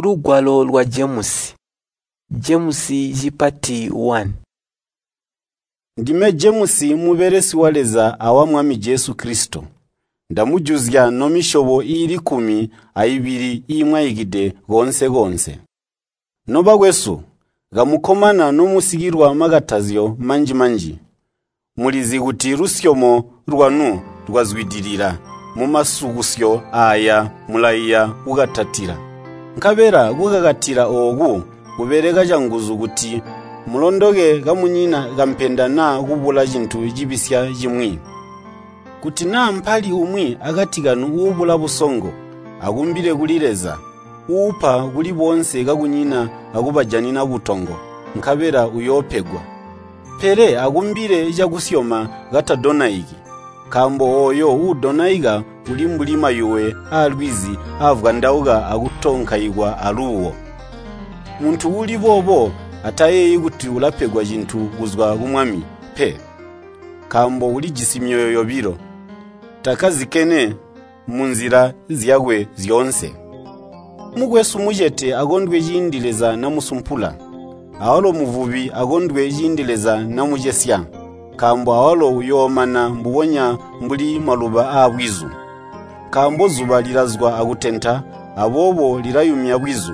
Lugwalo lwa Jemusi. Jemusi cipati 1. Ndime Jemusi mubelesi wa Leza awa Mwami Jesu Kilisito. Ndamujuzya nomisyobo iili 12 iimwaikide koonse-koonse. Nobakwesu, kamukkomana nomusikilwa makatazyo manji-manji. Mulizi kuti lusyomo lwanu lwazwidilila mumasukusyo aaya mulaiya kukakatila. Nkabela kukakatila ooku kubeleka canguzu kuti mulondoke kamunyina kampenda naa kubula cintu cibisya cimwi. Kuti naa mpali umwi akati kanu uubula busongo, akumbile kuli Leza, uupa kuli boonse kakunyina akubajanina butongo, nkabela uyoopegwa. Pele akumbile cakusyoma katadonaiki, nkaambo ooyo uudonaika uli mbuli mayuwe aalwizi aavwandauka akutonkaikwa aluuwo. Muntu uuli boobo atayeeyi kuti ulapegwa cintu kuzwa ku Mwami, pe, nkaambo ulijisi myoyo yobilo, takkazikene munzila zyakwe zyoonse. Mukwesu mucete akondwe ciindi Leza namusumpula, awalo muvubi akondwe ciindi Leza namucesya, nkaambo awalo uyoomana mbubonya mbuli maluba aabwizu. Nkaambo zuba lilazwa akutenta, aboobo lilayumya bwizu,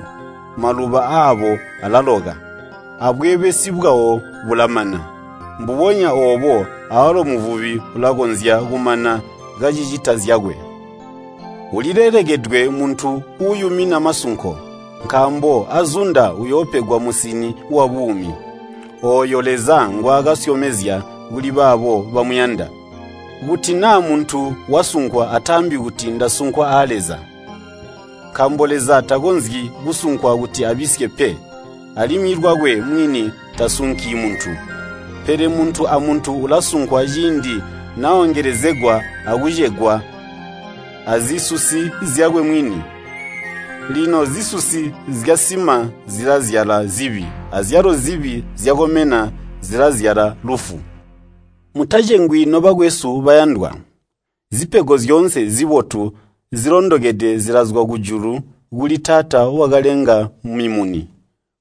maluba aabo alaloka, abweebesi bwawo bulamana. Mbubonya oobo awalo muvubi ulakonzya kumana kacicita zyakwe. Ulilelekedwe muntu uuyumina masunko, nkaambo azunda uyoopegwa musini wabuumi, ooyo Leza ngwaakasyomezya kuli baabo bamuyanda. Kuti naa muntu wasunkwa ataambi kuti ndasunkwa aa Leza. Nkaambo Leza takonzyi kusunkwa kuti abisye pe, alimwi lwakwe mwini tasunki muntu. Pele muntu amuntu ulasunkwa ciindi naongelezegwa akucegwa azisusi zyakwe mwini. Lino zisusi zyasima zilazyala zibi, azyalo zibi zyakomena zilazyala lufu. Mutacengwi nobakwesu bayandwa. Zipego zyoonse zibotu zilondokede zilazwa kujulu kuli Taata wakalenga mimuni,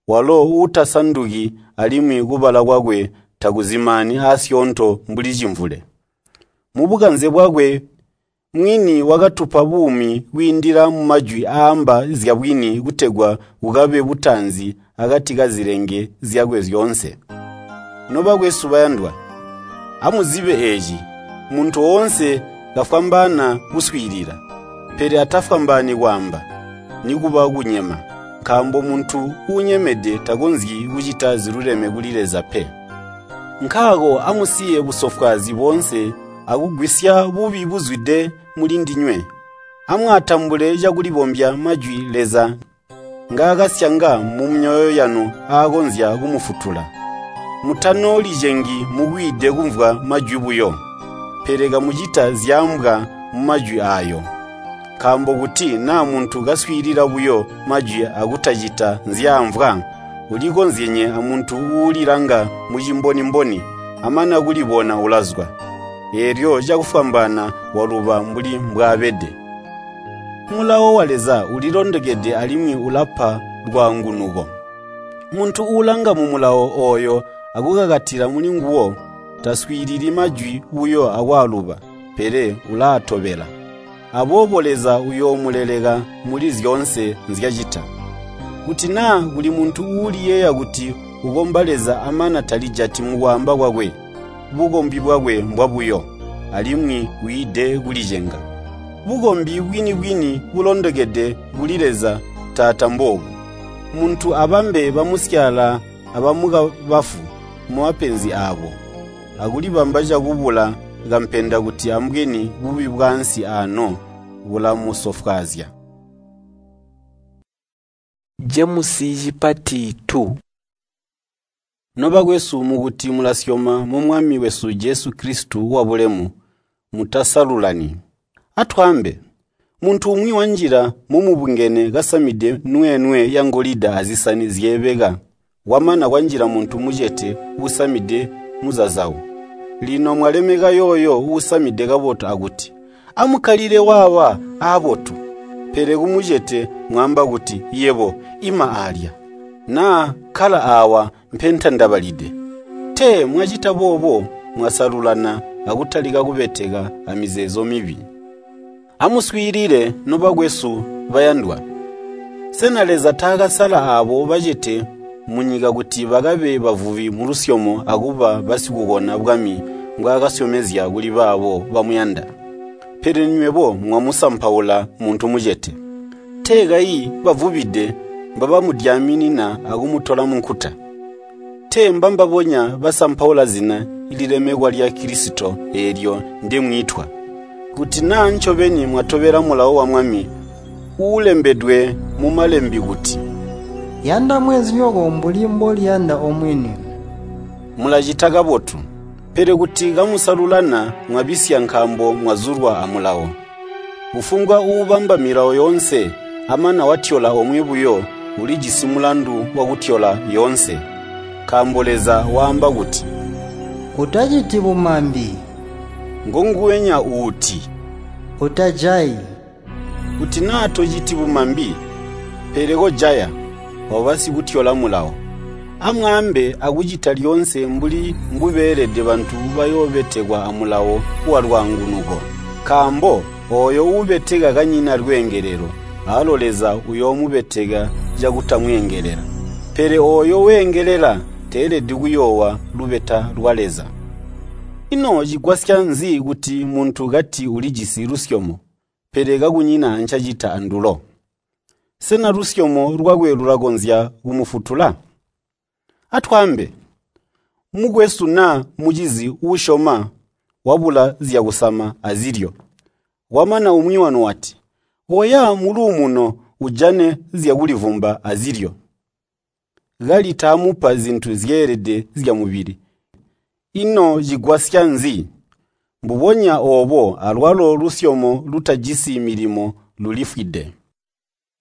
walo uutasanduki alimwi kubala kwakwe takuzimaani aasyoonto mbuli cimvule. Mubukanze bwakwe mwini wakatupa buumi kwiindila mumajwi aamba zyabwini kutegwa kukabe butanzi akati kazilenge zyakwe zyoonse. Nobakwesu bayandwa, amuzibe eeci, muntu woonse kafwambaana kuswiilila, pele atafwambaani kwaamba, nikuba kunyema, nkaambo muntu uunyemede takonzyi kucita ziluleme kuli Leza pe. Nkaako amusiye busofwaazi boonse akugwisya bubi buzwide mulindinywe. Amwaatambule cakulibombya majwi Leza ngaakasyanga mumyoyo yanu aakonzya kumufutula. Mutanoolicengi mukwiide kumvwa majwi buyo, pele kamucita zyaambwa mumajwi aayo. Nkaambo kuti naa muntu kaswiilila buyo majwi akutacita nzyaamvwa, ulikonzyenye amuntu uulilanga mucimbonimboni, amana kulibona ulazwa, eelyo cakufwambaana waluba mbuli mbwaabede. Mulawo wa Leza ulilondokede alimwi ulapa lwaangunuko. Muntu uulanga mumulawo ooyo akukakatila mulinguwo, taswiilili majwi buyo akwaaluba, pele ulaatobela. Aboobo Leza uyoomuleleka muli zyoonse nzyacita. Kuti naa kuli muntu uuliyeeya kuti ukomba Leza amana talijati mukwaamba kwakwe, bukombi bwakwe mbwabuyo, alimwi wiide kulicenga. Bukombi bwini-bwini bulondokede kuli Leza Taata mboobu: muntu abambe bamusyaala abamukabafu mumapenzi aabo, akulibamba cakubula kampenda kuti ambweni bubi bwaansi aano bulamusofwaazya. Jemusi cipati 2. Nobakwesu mukuti mulasyoma mu Mwami wesu Jesu Kilisito wabulemu, mutasalulani. Atwaambe, muntu umwi wanjila momubungene kasamide nweenwe yangolida azisani zyeebeka, kwamana kwanjila muntu mucete uusamide muzazawu. Lino mwalemeka yooyo uusamide kabotu akuti, “Amukkalile waawa aabotu.” Pele kumucete mwaamba kuti, ‘Yebo, ima aalya,’ naa ‘Kkala aawa mpentandabalide.’ Tee mwacita boobo mwasalulana akutalika kubeteka amizeezo mibi. Amuswiilile nobakwesu bayandwa. Sena Leza taakasala aabo bacete munyika kuti bakabe bavubi mulusyomo akuba basikukona bwami mbwaakasyomezya kuli baabo bamuyanda? Pele nywebo mwamusampaula muntu mucete. Tee kayi bavubide mbabamudyaminina akumutola munkuta? Tee mbambabonya basampaula zina lilemekwa lya Kilisito eelyo ndemwiitwa? Kuti naa ncobeni mwatobela mulawo wa Mwami uulembedwe mumalembi kuti, “Yanda mweenzinyoko mbuli mboliyanda omwini.” Mulacita kabotu. Pele kuti kamusalulana mwabisya nkaambo mwazulwa amulawo. Kufumbwa uubamba milawo yoonse amana watyola omwe buyo ulijisi mulandu wakutyola yoonse. Nkaambo Leza waamba kuti, “Utaciti bumambi.” Ngonguwenya uuti, “Utajayi.” Kuti naa tociti bumambi, pele kojaya, waba sikutyola mulawo. Amwaambe akucita lyoonse mbuli mbubeelede bantu bayoobetekwa amulawo walwaangunuko. Nkaambo ooyo uubeteka kanyina lweengelelo, aalo Leza uyoomubeteka cakutamweengelela. Pele ooyo weengelela teelede kuyoowa lubeta lwa Leza. Ino cigwasya nzi kuti muntu kati ulijisi lusyomo, pele kakunyina ncacita andulo? Sena lusyomo lwakwe lulakonzya kumufutula? Atwaambe, mukwesu naa mucizi uusyoma wabula zyakusama azilyo. Kwamana umwi wanu wati, “Koya muluumuno ujane zyakulivumba azilyo.” Kali taamupa zintu zyeelede zyamubili. Ino cigwasya nzi? Mbubonya oobo alwalo lusyomo lutajisi milimo lulifwide.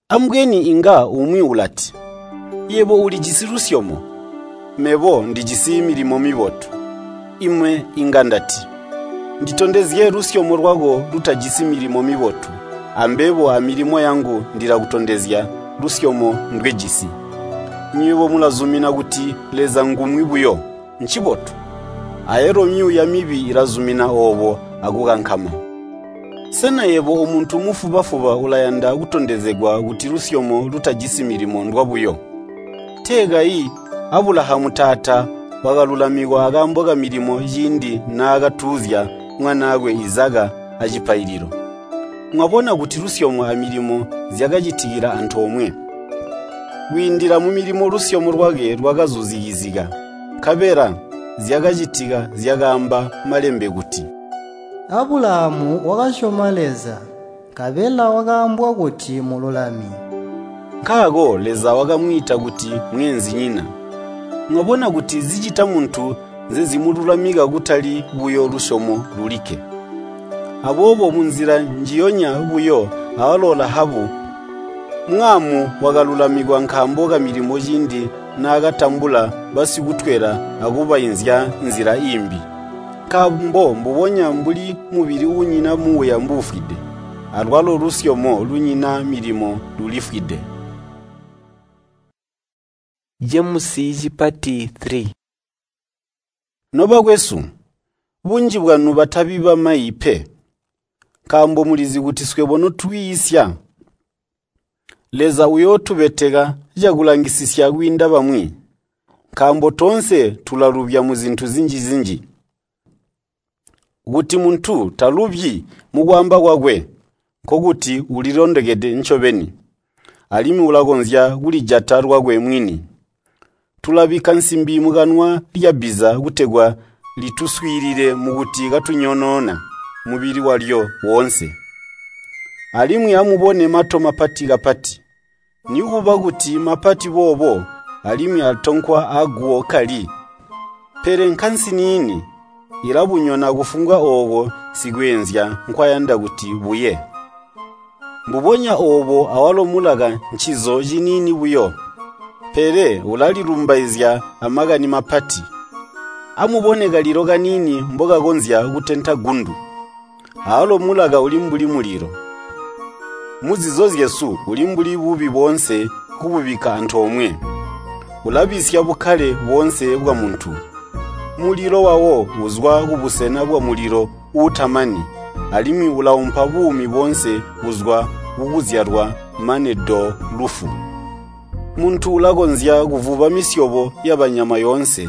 Ambweni inga umwi ulati, “Yebo ulijisi lusyomo, mebo ndijisi milimo mibotu.” Ime inga ndati, “Nditondezye lusyomo lwako lutajisi milimo mibotu, ambebo amilimo yangu ndilakutondezya lusyomo ndwejisi.” Nywebo mulazumina kuti Leza ngumwi buyo, ncibotu. Ayalo myuuya mibi ilazumina oobo akukankama. Sena yebo omuntu mufuba-fuba ulayanda kutondezegwa kuti lusyomo lutajisi milimo ndwabuyo? Tee kayi Abulahamu taata wakalulamikwa akaambo kamilimo ciindi naakatuuzya mwanaakwe Izaka acipaililo. Mwabona kuti lusyomo amilimo zyakacitikila antoomwe. Kwiindila mumilimo lusyomo lwakwe lwakazuzikizika, nkabela zyakacitika zyakaamba malembe kuti, “Abulahamu wakasyoma Leza, nkabela wakaambwa kuti mululami.” Nkaako Leza wakamwiita kuti mweenzinyina. Mwabona kuti zicita muntu nzezimululamika kutali buyo lusyomo lulikke. Aboobo munzila njiyonya buyo awalo Lahabu mwaamu wakalulamikwa nkaambo kamilimo ciindi naakatambula basikutwela akubainzya nzila iimbi. Nkaambo mbubonya mbuli mubili uunyina muuya mbuufwide, alwalo lusyomo lunyina milimo lulifwide. Jemusi cipati 3. Nobakwesu, bunji bwanu batabi bamayi pe, nkaambo mulizi kuti swebo notwiisya, Leza uyootubeteka cakulangisisya kwiinda bamwi, nkaambo toonse tulalubya muzintu zinji-zinji. Kuti muntu talubyi mukwaamba kwakwe, nkokuti ulilondokede ncobeni, alimwi ulakonzya kulijata lwakwe mwini. Tulabikka nsimbi mukanwa lyabbiza kutegwa lituswiilile mukuti katunyonyoona mubili walyo woonse. Alimwi amubone mato mapati kapati. Nikuba kuti mapati boobo alimwi atonkwa aguwo kali, pele nkansiniini ilabunyona kufumbwa ooko sikweenzya nkwayanda kuti buye. Mbubonya oobo awalo mulaka ncizo ciniini buyo, pele ulalilumbaizya amakani mapati. Amubone kalilo kaniini mbokakonzya kutenta gundu. Aalo mulaka uli mbuli mulilo. Muzizo zyesu uli mbuli bubi boonse kububikka antoomwe. Ulabisya bukkale boonse bwamuntu. Mulilo wawo uzwa kubusena bwamulilo uutamani, alimwi ulaumpa buumi boonse buzwa kukuzyalwa mane do lufu. Muntu ulakonzya kuvuba misyobo yabanyama yoonse,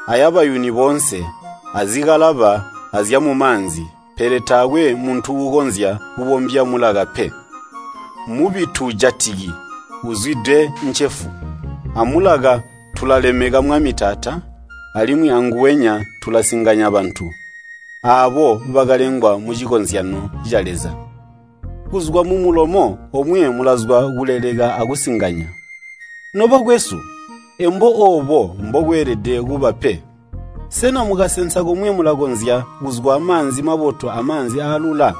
ayabayuni boonse, azikalaba azyamumaanzi, pele taakwe muntu uukonzya kubombya mulaka pe. Mubi tuujatiki, uzwide ncefu. Amulaka tulalemeka Mwami Taata, alimwi anguwenya tulasinganya bantu, aabo bakalengwa mucikozyano ca Leza. Kuzwa mumulomo omwe mulazwa kuleleka akusinganya. Nobakwesu, embo oobo mbokweelede kuba pe. Sena mukasensa komwe mulakonzya kuzwa maanzi mabotu amaanzi aalula?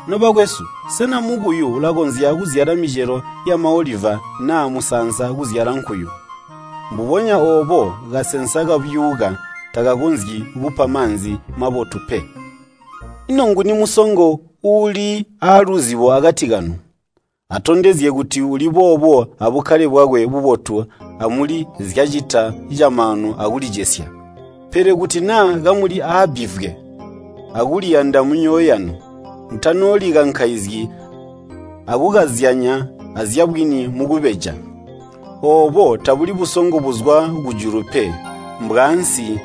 Nobakwesu, sena mukuyu ulakonzya kuzyala micelo yamaoliva naa musaansa kuzyala nkuyu? Mbubonya oobo kasensa kabyuuka takakonzyi kupa maanzi mabotu pe. Ino nguni musongo uuli aaluzibo akati kanu? Atondezye kuti uli boobo abukkale bwakwe bubotu amuli zyacita camaanu akulicesya. Pele kuti naa kamuli aabbivwe akuliyanda mumyoyo yanu, mutanoolikankaizyi akukazyanya azyabwini mukubeja. Oobo tabuli busongo buzwa kujulu pe, mbwaansi,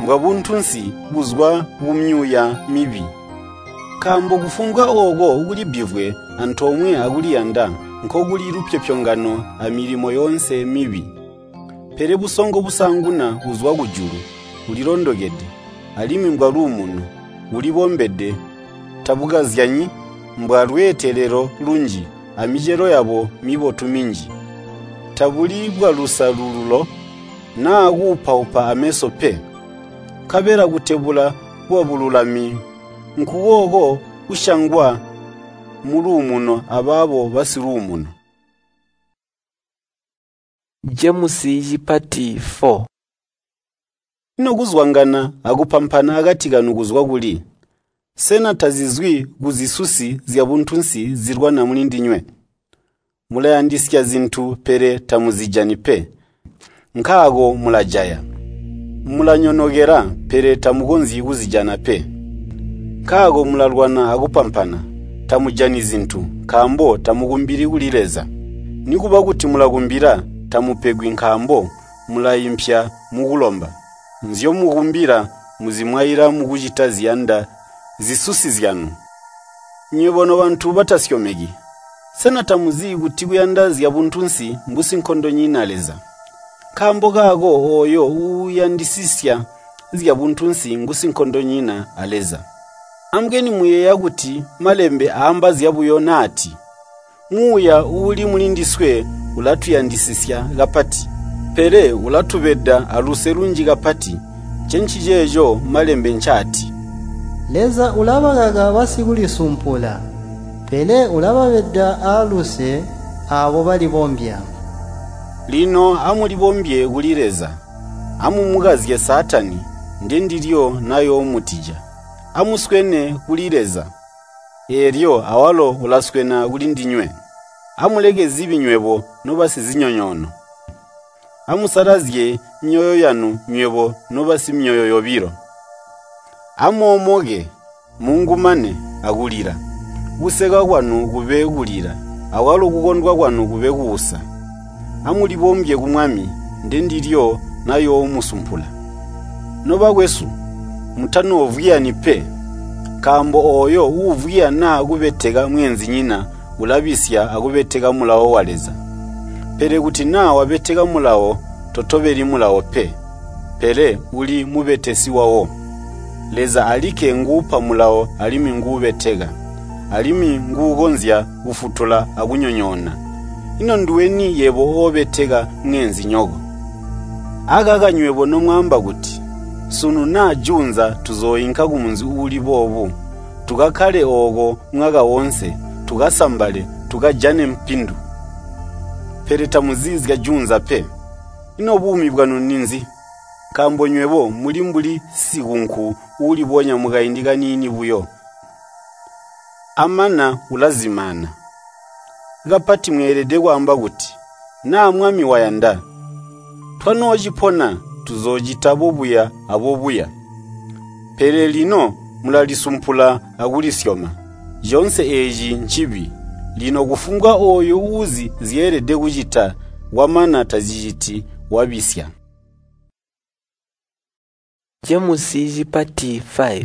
mbwabuntunsi buzwa kumyuuya mibi. Nkaambo kufumbwa ooko kuli bbivwe antoomwe akuliyanda nkokuli lupyopyongano amilimo yoonse mibi. Pele busongo busaanguna buzwa kujulu, bulilondokede, alimwi mbwaluumuno, bulibombede, tabukazyanyi, mbwalweetelelo lunji, amicelo yabo mibotu minji. Tabuli bwalusalululo naa kuupaupa ameso pe. Nkabela kutebula kwabululami nkukooko kusyangwa muluumuno abaabo basiluumuno. Jemusi cipati 4. Ino kuzwangana akupampana akati kanu kuzwa kuli? Sena tazizwi kuzisusi zyabuntunsi zilwana mulindinywe? Mulayandisya zintu pele tamuzijani pe, nkaako mulajaya. Mulanyonokela pele tamukonzyi kuzijana pe, nkaako mulalwana akupampana. Tamujani zintu, nkaambo tamukumbili kuli Leza. Nikuba kuti mulakumbila, tamupegwi nkaambo mulaimpya mukulomba. Nzyomukumbila muzimwaila mukucita ziyanda zisusi zyanu. Nywebo nobantu batasyomeki, sena tamuzi kuti kuyanda zyabuntunsi mbusinkondonyina Leza? Nkaambo kaako ooyo uuyandisisya zyabuntunsi ngusinkondonyina a Leza. Ambweni muyeeya kuti malembe aamba zyabuyo naati, “Muuya uuli mulindiswe ulatuyandisisya kapati, pele ulatubeda aluse lunji kapati.” Ncenciceeco malembe ncaati, Leza ulabakaka basikulisumpula, pele ulababeda aaluse aabo balibombya. Lino amulibombye kuli Leza. Amumukazye Saatani, ndendilyo nayoomutija. Amuswene kuli Leza, eelyo awalo ulaswena kulindinywe. Amuleke zibi nywebo nobasizinyonyoono. Amusalazye myoyo yanu nywebo nobasimyoyo yobilo. Amoomoke, mungumane akulila. Kuseka kwanu kube kulila, akwalo kukondwa kwanu kube kuusa. Amulibombye ku Mwami, ndendilyo nayoomusumpula. Nobakwesu, mutanoovwiyani pe, nkaambo ooyo uuvwiya naa kubeteka mweenzinyina ulabisya akubeteka mulawo wa Leza. Pele kuti naa wabeteka mulawo, totobeli mulawo pe, pele uli mubetesi wawo. Leza alikke nguupa mulawo alimwi nguubeteka, alimwi nguukonzya kufutula akunyonyoona. Ino nduweni yebo oobeteka mweenzinyoko? Akaka nywebo nomwaamba kuti, “Sunu naa juunza tuzooinka kumunzi uuli boobu, tukakkale ooko mwaka woonse, tukasambale, tukajane mpindu.” Pele tamuzi zya juunza pe. Ino buumi bwanu ninzi? Nkaambo nywebo muli mbuli sikunku uulibonya mukaindi kaniini buyo, Amana ulazimaana. Kapati mweelede kwaamba kuti, “Naa Mwami wayanda, twanoocipona tuzoocita bobuya abobuya.” Pele lino mulalisumpula akulisyoma. Coonse eeci ncibi. Lino kufumbwa ooyo uuzi zyeelede kucita kwamana taziciti wabisya. Jemusi cipati 5.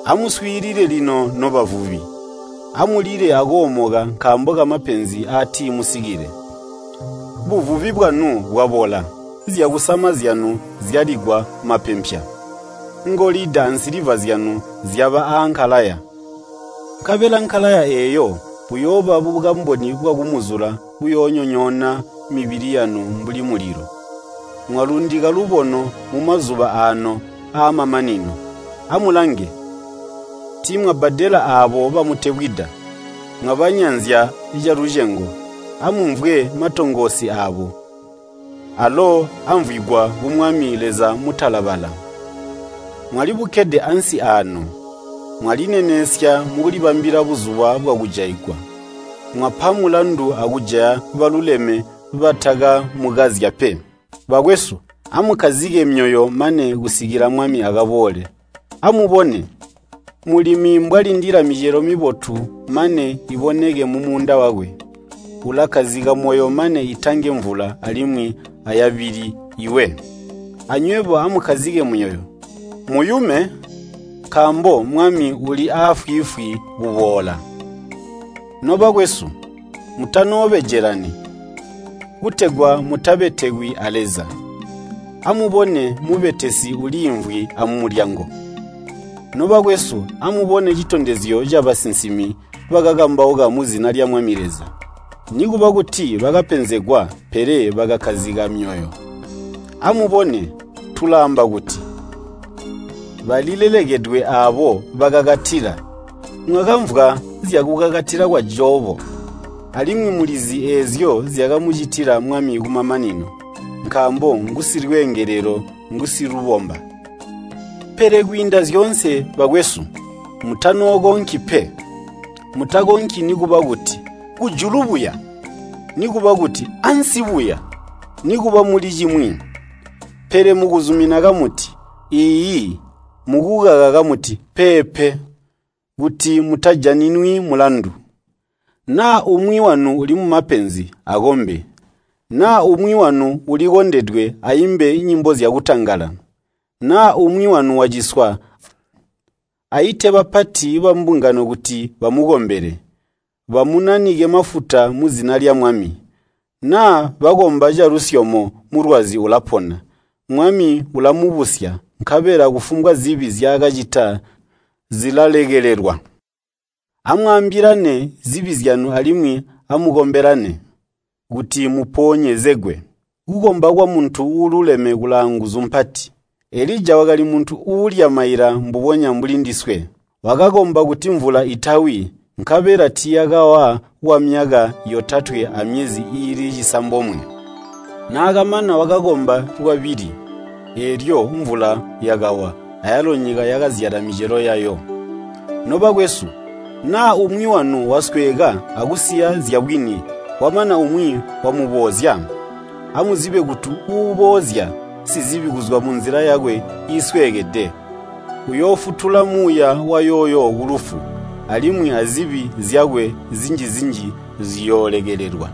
Amuswiilile lino nobavubi, amulile akoomoka nkaambo kamapenzi aatimusikile. Buvubi bwanu bwabola, zyakusama zyanu zyaligwa mapempya. Ngolida ansiliva zyanu zyaba aankalaya. Nkabela nkalaya eeyo buyooba bukamboni bwakumuzula buyoonyonyoona mibili yanu mbuli mulilo. Mwalundika lubono mumazuba aano aamamanino. Amulange, tiimwabbadela aabo bamutebwida, mwabanyanzya calucengo. Amumvwe matongoosi aabo, alo amvwigwa ku Mwami Leza mutalabala. Mwalibukkede ansi aano, mwalineneesya mukulibambila buzuba bwakujaigwa. Mwapa mulandu akujaya baluleme batakamukazya pe. Bakwesu, amukkazike myoyo mane kusikila Mwami akaboole. Amubone, mulimi mbwalindila micelo mibotu mane iboneke mumuunda wakwe. Ulakkazika moyo mane itange mvula alimwi ayabili iwe. Anywebo amukkazike myoyo, muyume, nkaambo Mwami uli aafwiifwi kuboola. Nobakwesu, mutanoobejelani, kutegwa mutabetekwi a Leza. Amubone mubetesi uliimvwi amulyango. Nobakwesu, amubone citondezyo cabasinsimi bakakambauka muzina lya Mwami Leza. Nikuba kuti bakapenzegwa, pele bakakkazika myoyo. Amubone, tulaamba kuti, balilelekedwe aabo bakakatila. Mwakamvwa zyakukakatila kwa Jobo, alimwi mulizi eezyo zyakamucitila Mwami kumamanino, nkaambo ngusilweengelelo ngusilubomba. Pele kwiinda zyoonse bakwesu, mutanookonki pe. Mutakonki nikuba kuti kujulu buya, nikuba kuti ansi buya, nikuba muli cimwi. Pele mukuzumina kamuti, “Iiyi,” mukukaka kamuti, “Peepe,” kuti mutajaninwi mulandu. Naa umwi wanu uli mumapenzi, akombe. Naa umwi wanu ulikondedwe aimbe nyimbo zyakutangala. Naa umwi wanu waciswa, aite bapati bambungano kuti bamukombele, bamunanike mafuta muzina lya Mwami. Naa bakomba calusyomo mulwazi ulapona, Mwami ulamubusya, nkabela kufumbwa zibi nzyaakacita zilalekelelwa. Amwaambilane zibi zyanu alimwi amukombelane, kuti muponyezegwe. Kukomba kwamuntu uululeme kulaanguzu mpati. Elija wakali muntu uulya maila mbubonya mbuli ndiswe. Wakakomba kuti mvula itawi, nkabela tiiyakawa kwamyaka 3 amyezi iili 9. Naakamana wakakomba lwabili, eelyo mvula yakawa, ayalo nyika yakazyala micelo yayo. Nobakwesu, naa umwi wanu wasweeka akusiya zyabwini, kwamana umwi wamuboozya, amuzibe kuti uuboozya sizibi kuzwa munzila yakwe iisweekede, uyoofutula muuya wayooyo kulufu, alimwi azibi zyakwe zinji-zinji ziyoolekelelwa.